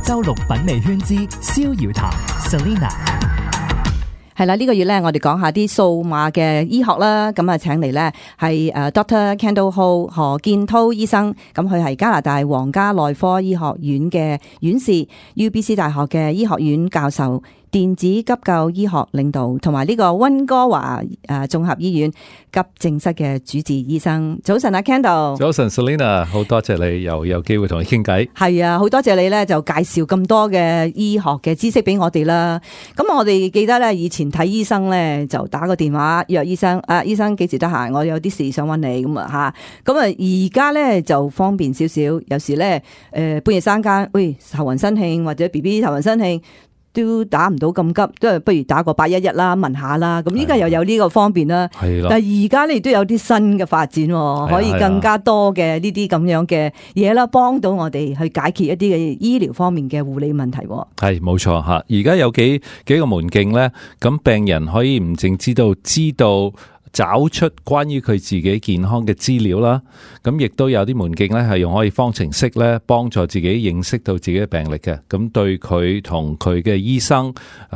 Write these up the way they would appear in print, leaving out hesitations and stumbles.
周六品味圈之逍遙談 Selena。係啦，呢個月咧，我哋講下啲數碼嘅醫學啦。咁啊，請嚟咧係Dr. Kendall Ho 何建滔醫生。咁佢係加拿大皇家內科醫學院嘅院士 ，UBC 大學嘅醫學院教授。電子急救醫學領導，同埋呢個溫哥華綜合醫院急症室嘅主治醫生。早晨啊 Kendall。早晨 Selena， 好多謝你又有機會同你傾偈。係啊，好多謝你咧就介紹咁多嘅醫學嘅知識俾我哋啦。咁我哋記得咧以前睇醫生咧就打個電話約醫生，醫生幾時得閒？我有啲事想揾你咁啊吓。咁啊而家咧就方便少少，有時咧半夜三更，喂頭暈身慶或者 BB 頭暈身慶。都打唔到咁急，都係不如打個811啦，問下啦。咁依家又有呢個方便啦。係啦。但係而家你都有啲新嘅發展，可以更加多嘅呢啲咁樣嘅嘢啦，幫到我哋去解決一啲嘅醫療方面嘅護理問題。係冇錯吓，而家有幾個門徑咧，咁病人可以唔淨知道找出關於佢自己健康嘅資料啦，咁亦都有啲門徑咧係用可以方程式咧幫助自己認識到自己嘅病歷嘅，咁對佢同佢嘅醫生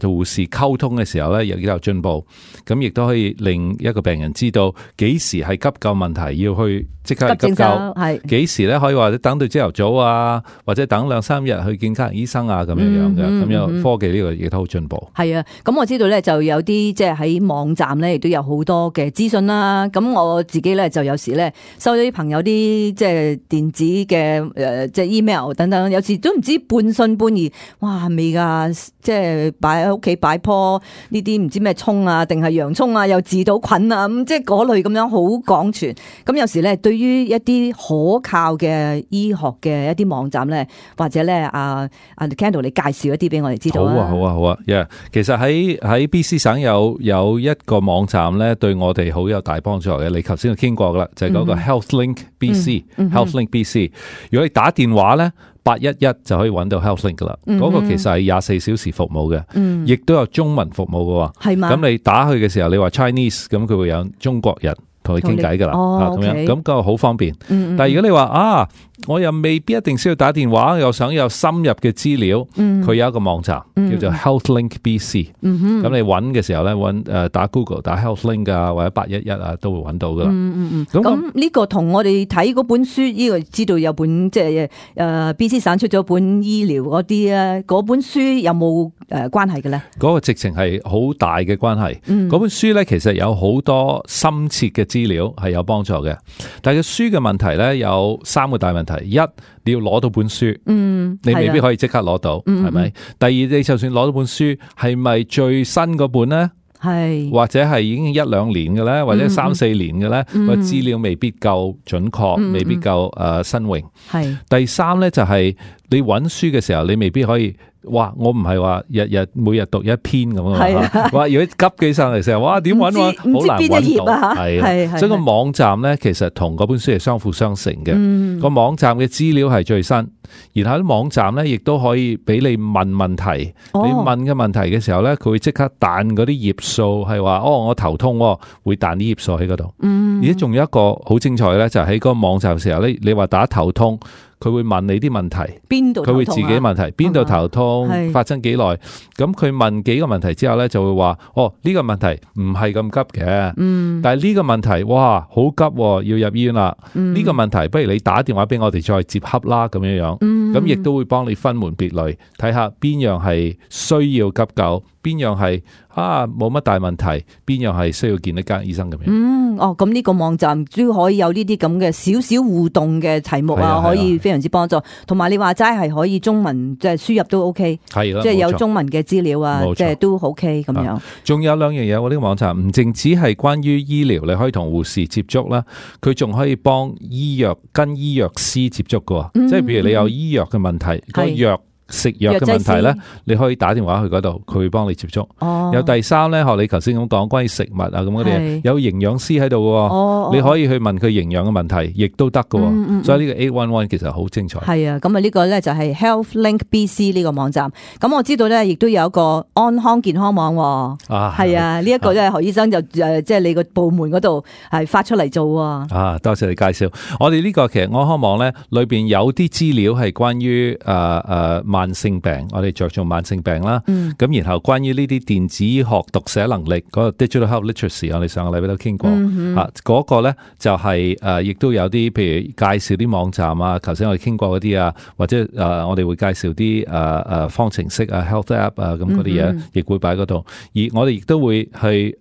同護士溝通嘅時候咧，亦都有進步，咁亦都可以令一個病人知道幾時係急救問題要去即刻急救，係幾時咧可以話等到朝頭早啊，或者等2-3日去見家庭醫生啊咁樣樣嘅，咁樣科技呢個亦都好進步。係啊，咁我知道咧就有啲即係喺網站咧亦都有好多嘅資訊啦，咁我自己咧就有時咧收咗啲朋友啲即係電子嘅即係 email 等等，有時都唔知半信半疑，哇係咪噶？即係擺喺屋企擺棵呢啲唔知咩葱啊，定係洋葱啊，又治到菌啊，咁即係嗰類咁樣好廣傳。咁有時咧對於一啲可靠嘅醫學嘅一啲網站咧，或者咧阿 Kendall 你介紹一啲俾我哋知道啊。好啊 yeah， 其實喺 BC 省有一個網站咧，對我哋好有大幫助嘅。你頭先都傾過噶啦，就係嗰個 HealthLink BC，HealthLink BC。如果你打電話咧811就可以揾到 HealthLink 噶啦，嗰個其實係24小時服務嘅，亦都有中文服務嘅。係嘛？咁你打去嘅時候，你話 Chinese，咁佢會有中國人同你傾偈噶啦，咁樣咁個好方便。但係如果你話我又未必一定需要打電話，又想有深入嘅資料，佢有一個網站叫做 HealthLink BC。咁你揾嘅時候咧，打 Google 打 HealthLink 啊，或者811啊，都會揾到噶啦。咁呢個同我哋睇嗰本書，呢個知道有本即係BC 省出咗本醫療嗰啲啊，嗰本書有冇關係嘅咧？嗰個直情係好大嘅關係。嗰本書咧其實有好多深切嘅資料係有幫助嘅，但係個書嘅問題咧有3個大問題。一，你要攞到本書，你未必可以即刻攞到，係咪？第二，你就算攞到本書，係咪最新嗰本呢？係或者係已經1-2年嘅咧，或者3-4年嘅咧，個資料未必夠準確，未必夠新穎。係第三咧就係你揾書嘅時候，你未必可以。哇！我唔係話每日讀一篇咁啊！哇！如果急起上嚟成日，哇點揾好難揾到。係，所以個網站咧其實同嗰本書係相輔相成嘅。個網站嘅資料係最新，然後啲網站咧亦都可以俾你問問題。你問嘅問題嘅時候咧，佢會即刻彈嗰啲頁數，係話我頭痛，會彈啲頁數喺嗰度。而且仲有一個好精彩咧，就係喺個網站嘅時候咧，你話打頭痛。佢會問你啲問題，邊度佢會自己問題，邊度頭痛，發生幾耐？咁佢問幾個問題之後咧，就會話呢個問題唔係咁急嘅，但係呢個問題哇好急，要入醫院啦。呢個問題不如你打電話俾我哋再接洽啦，咁樣樣，咁亦都會幫你分門別類，睇下邊樣係需要急救，邊樣係冇乜大問題，邊樣係需要見一間醫生咁樣。咁呢個網站都可以有呢啲咁嘅少少互動嘅題目啊，可以非常之幫助。同埋你話齋係可以中文即係輸入都 OK， 係啦，即係有中文嘅資料啊，即係都 OK 咁樣。仲有2樣嘢，我呢個網站唔淨止係關於醫療，你可以同護士接觸啦，佢仲可以幫跟醫藥師接觸噶，即係譬如你有醫藥嘅問題，個藥。食藥嘅問題咧，你可以打電話去嗰度，佢會幫你接觸。有第三咧，學你頭先咁講，關於食物啊咁嗰啲，有營養師喺度嘅，你可以去問佢營養嘅問題，亦都得嘅。所以呢個811其實好精彩。係啊，咁啊呢個咧就係 HealthLink BC 呢個網站。咁我知道咧，亦都有一個安康健康網。係啊，呢一個咧何醫生就即係你個部門嗰度係發出嚟做。多謝你介紹。我哋呢個其實安康網咧裏邊有啲資料係關於慢性病，我哋着重慢性病啦。咁然後關於呢啲電子醫學讀寫能力嗰個 digital health literacy， 我哋上個禮拜都傾過嗰個咧就係亦都有啲譬如介紹啲網站啊，頭先我哋傾過嗰啲啊，或者我哋會介紹啲方程式啊 health app 啊咁嗰啲嘢，亦會擺嗰度。而我哋亦都會去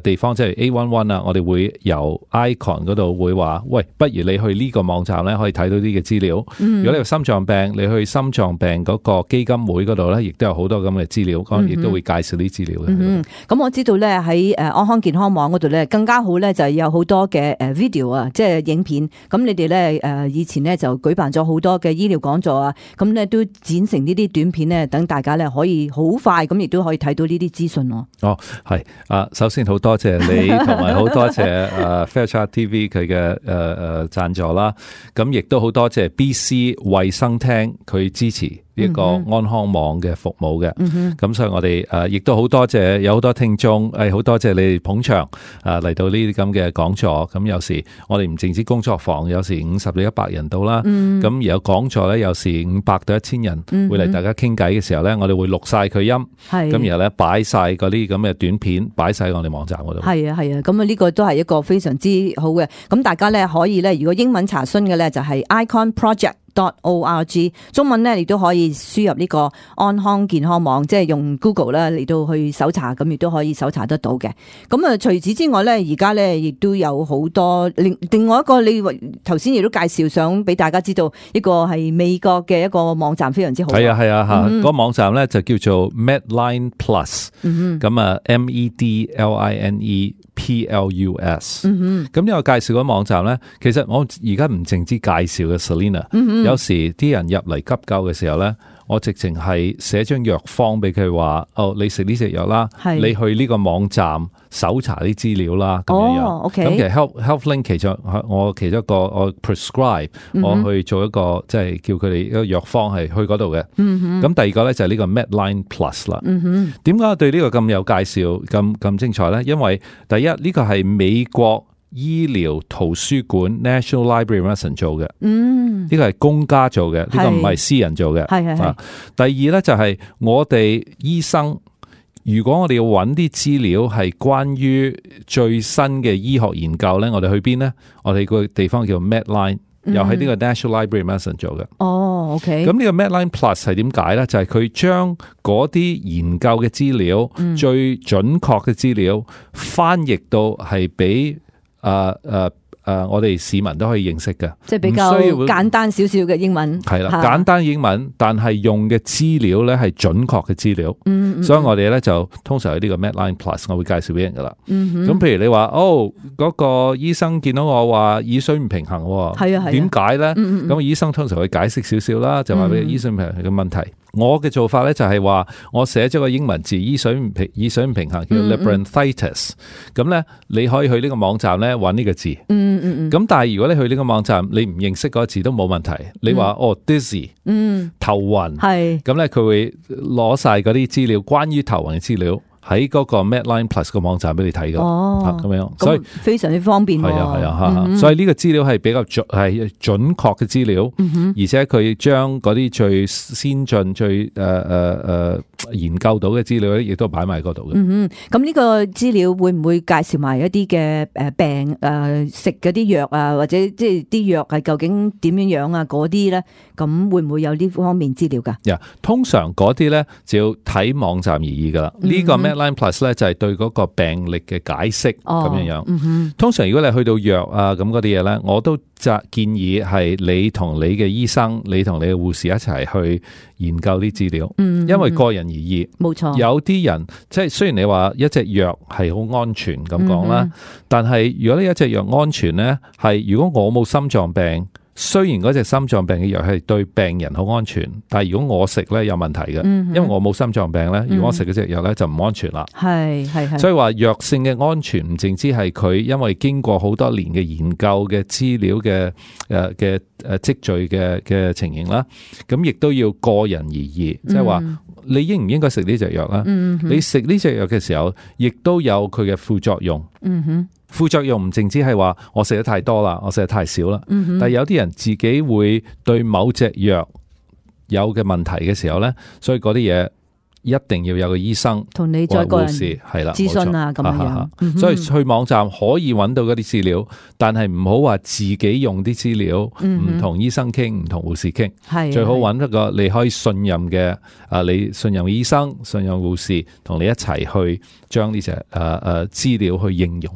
地方，即係 A11 啊，我哋會由 icon 嗰度會話，喂，不如你去呢個網站咧，可以睇到啲嘅資料。如果你有心臟病，你去心臟病嗰個基金會嗰度咧，亦都有好多咁嘅資料，亦都會介紹啲資料嘅。咁我知道咧喺安康健康網嗰度咧，更加好咧就係有好多嘅video 啊，即係影片。咁你哋咧以前咧就舉辦咗好多嘅醫療講座啊，咁咧都剪成呢啲短片咧，等大家咧可以好快咁亦都可以睇到呢啲資訊咯。係首先好多謝你，同埋好多謝Fairchild TV 佢嘅贊助啦。咁亦都好多謝 BC 衛生廳佢支持呢個安康網嘅服務嘅。咁所以我哋亦都好多謝有好多聽眾，好多謝你哋捧場嚟到呢啲咁嘅講座。咁有時我哋唔淨止工作坊，有時50到100人到啦。咁而有講座咧，有時500到1000人會嚟大家傾偈嘅時候咧，我哋會錄晒佢音，咁然後咧擺晒嗰啲咁嘅短片，擺晒我哋網站嗰度。係啊，咁呢個都係一個非常之好嘅。咁大家咧可以咧，如果英文查詢嘅咧就係 iconproject.org， 中文咧亦都可以輸入呢個安康健康網，即係用 Google 啦嚟到去搜查，咁亦都可以搜查得到嘅。咁啊，除此之外咧，而家咧亦都有好多另外一個，你頭先亦都介紹，想俾大家知道一個係美國嘅一個網站，非常之好。係啊，嗰個網站咧就叫做 Medline Plus， 咁啊 MEDLINE PLUS， 咁呢個介紹嘅網站咧，其實我而家唔淨止介紹嘅 Selena，有時啲人入嚟急救嘅時候咧，我直情係寫張藥方俾佢話，你食呢隻藥啦，你去呢個網站搜查啲資料啦，咁樣。咁其實 HealthLink 其中一個我 prescribe，我去做一個即係叫佢哋一個藥方係去嗰度嘅。咁第二個咧就係呢個 Medline Plus 啦。點解我對呢個咁有介紹咁精彩咧？因為第一呢個係美國醫療圖書館 National Library Medicine 做嘅，呢個係公家做嘅，呢個唔係私人做嘅。第二咧就係我哋醫生，如果我哋要揾啲資料係關於最新嘅醫學研究咧，我哋去邊咧？我哋個地方叫 Medline，又喺呢個 National Library Medicine 做嘅。OK。咁呢個 Medline Plus 係點解咧？就係佢將嗰啲研究嘅資料，最準確嘅資料翻譯到係俾我哋市民都可以認識嘅，即係比較簡單少少嘅英文。係啦，簡單英文，但係用嘅資料咧係準確嘅資料。所以我哋咧就通常有呢個 Medline Plus， 我會介紹俾人噶啦。咁譬如你話嗰個醫生見到我話耳水唔平衡，點解咧？咁醫生通常會解釋少少啦，就話俾耳水唔平衡嘅問題。我嘅做法咧就係話，我寫咗個英文字，耳水唔平衡叫 labyrinthitis。咁咧，你可以去呢個網站咧揾呢個字。咁但係如果你去呢個網站，你唔認識嗰個字都冇問題。你話dizzy，頭暈，咁咧佢會攞晒嗰啲資料，關於頭暈嘅資料。喺嗰個 Medline Plus 個網站俾你睇噶，咁樣，所以非常之方便。係啊，所以呢個資料係比較係準確嘅資料，而且佢將嗰啲最先進、最研究到嘅資料咧，亦都擺埋嗰度嘅。咁呢個資料會唔會介紹埋一啲嘅病食嗰啲藥啊，或者即係啲藥係究竟點樣樣啊？嗰啲咧，咁會唔會有呢方面資料噶？通常嗰啲咧就要睇網站而異噶啦。呢個 Medline Plus 咧就係對嗰個病歷嘅解釋咁樣樣。通常如果你去到藥啊咁嗰啲嘢咧，我都建議係你同你嘅醫生、你同你嘅護士一齊去研究啲資料，因為個人而異。冇錯，有啲人即係雖然你話一隻藥係好安全咁講啦，但係如果呢一隻藥安全咧，係如果我冇心臟病。雖然嗰隻心臟病嘅藥係對病人好安全，但係如果我食咧有問題嘅，因為我冇心臟病咧，如果我食嗰隻藥咧就唔安全啦。係，所以話藥性嘅安全唔淨止係佢因為經過好多年嘅研究嘅資料嘅積聚嘅情形啦，咁亦都要個人而異，即係話你應唔應該食呢隻藥啦？你食呢隻藥嘅時候，亦都有佢嘅副作用。副作用唔淨止係話我食得太多啦，我食得太少啦，但係有啲人自己會對某隻藥有嘅問題嘅時候咧，所以嗰啲嘢一定要有個醫生同你再個人係啦諮詢啊，咁樣。所以去網站可以揾到嗰啲資料，但係唔好話自己用啲資料，唔同醫生傾，唔同護士傾，最好揾一個你可以信任嘅你信任嘅醫生、信任護士，同你一齊去將呢隻資料去應用。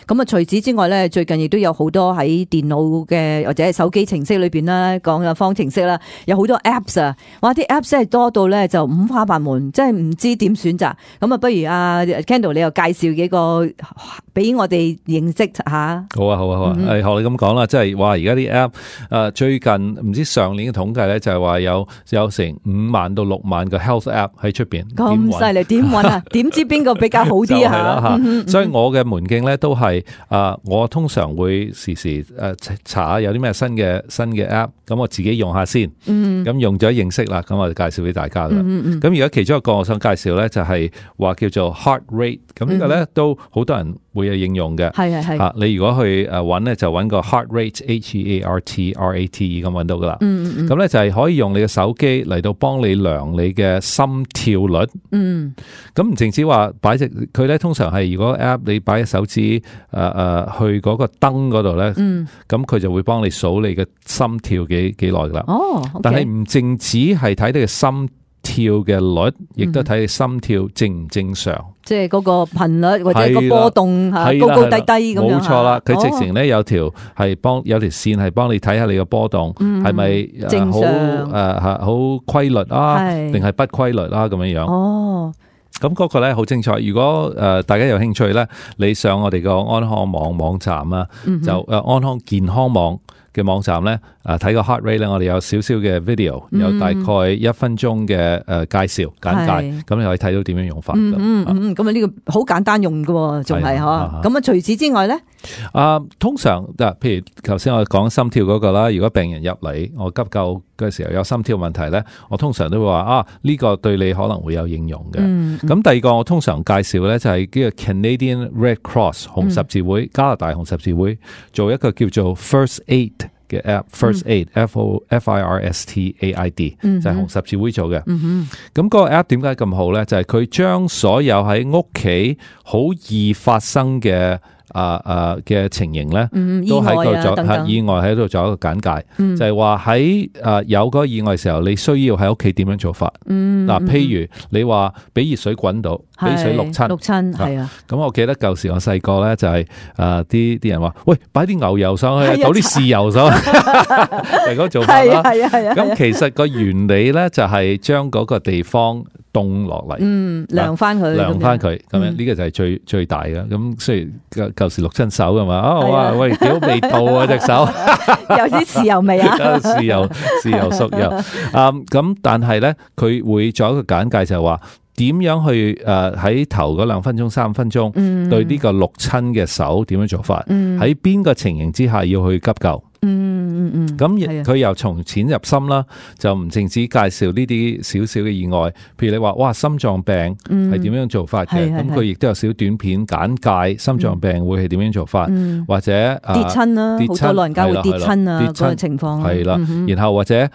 咁啊，除此之外咧，最近亦都有好多喺電腦嘅或者係手機程式裏邊啦，講嘅方程式啦，有好多 apps 啊，哇！啲 apps 真係多到咧就五花八門，真係唔知點選擇。咁啊，不如阿 Kendall 你又介紹幾個俾我哋認識下。好啊。學你咁講啦，即係話而家啲 app 最近唔知上年嘅統計咧，就係話有成5萬到6萬個 health app 喺出邊。咁犀利，點揾啊？點知邊個比較好啲啊？所以我嘅門徑咧都係我通常會時時查下有啲咩新嘅 app， 咁我自己用下先。咁用咗認識啦，咁我就介紹俾大家啦。咁而家其中一個我想介紹咧，就係話叫做 heart rate。咁呢個咧都好多人會有應用嘅。係。你如果去揾咧，就揾個 heart rate，HEART RATE 咁揾到噶啦。咁咧就係可以用你嘅手機嚟到幫你量你嘅心跳率。咁唔淨止話擺隻佢咧，通常係如果 app 你擺隻手指去嗰個燈嗰度咧，咁佢就會幫你數你嘅心跳幾耐噶啦。但係唔淨止係睇你嘅心跳嘅率，亦都睇你心跳正唔正常。即係嗰個頻率或者個波動高高低低咁樣。冇錯啦，佢直情咧有條線係幫你睇下你嘅波動係咪正常好規律啊，定係不規律啊咁樣樣。咁嗰個咧好精彩。如果大家有興趣咧，你上我哋個安康網站啊，就安康健康網嘅網站咧，睇個 heart rate 咧，我哋有少少嘅 video，有大概1分鐘嘅介紹簡介，咁你可以睇到點樣用法。咁啊呢個好簡單用嘅，仲係嗬。咁啊除此之外咧，通常譬如頭先我講心跳嗰個啦，如果病人入嚟我急救嘅時候有心跳問題咧，我通常都會話呢個對你可能會有應用嘅。咁第二個我通常介紹咧就係呢個 Canadian Red Cross 紅十字會，加拿大紅十字會做一個叫做 First Aid 嘅 app，First Aid FIRST AID 就係紅十字會做嘅。咁嗰個 app 點解咁好咧？就係佢將所有喺屋企好易發生嘅嘅情形咧，都喺度做意外喺度做一個簡介，就係話喺有嗰個意外嘅時候，你需要喺屋企點樣做法。譬如你話俾熱水滾到，俾水淥親，係啊。咁我記得舊時我細個咧就係啲人話，喂，擺啲牛油上去，倒啲豉油上去，係嗰個做法啦。咁其實個原理咧就係將嗰個地方凍落嚟，涼翻佢，咁樣呢個就係最大嘅。咁雖然舊時淥親手噶嘛，喂，幾好味道啊隻手，有啲豉油味啊，豉油熟油。咁但係咧，佢會做一個簡介，就係話點樣去喺頭嗰2分鐘、3分鐘，對呢個淥親嘅手點樣做法，喺邊個情形之下要去急救。咁佢又從淺入深啦，就唔淨止介紹呢啲少少嘅意外，譬如你話哇心臟病係點樣做法嘅，咁佢亦都有少短片簡介心臟病會係點樣做法，或者跌親啦，好多老人家會跌親啊嗰個情況係啦，然後或者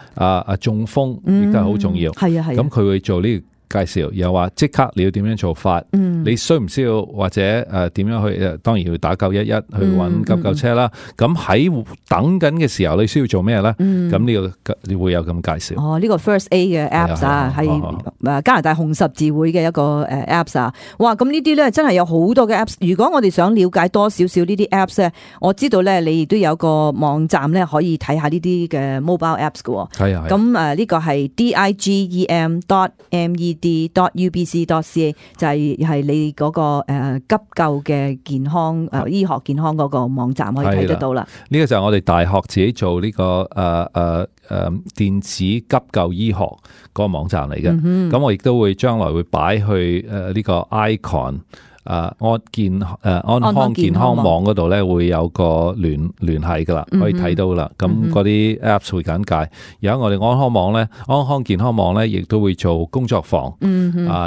中風亦都係好重要，咁佢會做呢個介紹，又話即刻你要點樣做法，你需唔需要或者點樣去當然要打911去揾急救車啦。咁喺等緊嘅時候，你需要做咩咧？咁呢個你會有咁介紹。呢個 First Aid 嘅 Apps 係加拿大紅十字會嘅一個Apps 啊。哇！咁呢啲咧真係有好多嘅 Apps。如果我哋想了解多少少呢啲 Apps 咧，我知道咧你亦都有個網站咧可以睇下呢啲嘅 mobile Apps 嘅。咁呢個係 digem.med.ubc.ca 就係你嗰個急救嘅健康醫學健康嗰個網站可以睇得到啦。呢個就係我哋大學自己做呢個電子急救醫學嗰個網站嚟嘅。咁我亦都會將來會擺去呢個 icon 安康健康網嗰度咧會有個聯繫噶啦，可以睇到啦。咁嗰啲 Apps 會簡介。而家我哋安康健康網咧，亦都會做工作坊。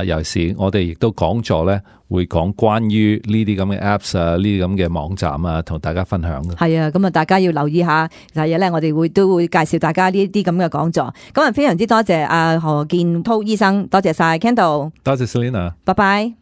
尤其是我哋亦都講座咧，會講關於呢啲咁嘅 Apps 啊，呢啲咁嘅網站啊，同大家分享嘅。係啊，咁啊，大家要留意下。第日咧，我哋都會介紹大家呢啲咁嘅講座。咁啊，非常之多謝阿何建滔醫生，多謝晒 Kendall， 多謝 Selena， 拜拜。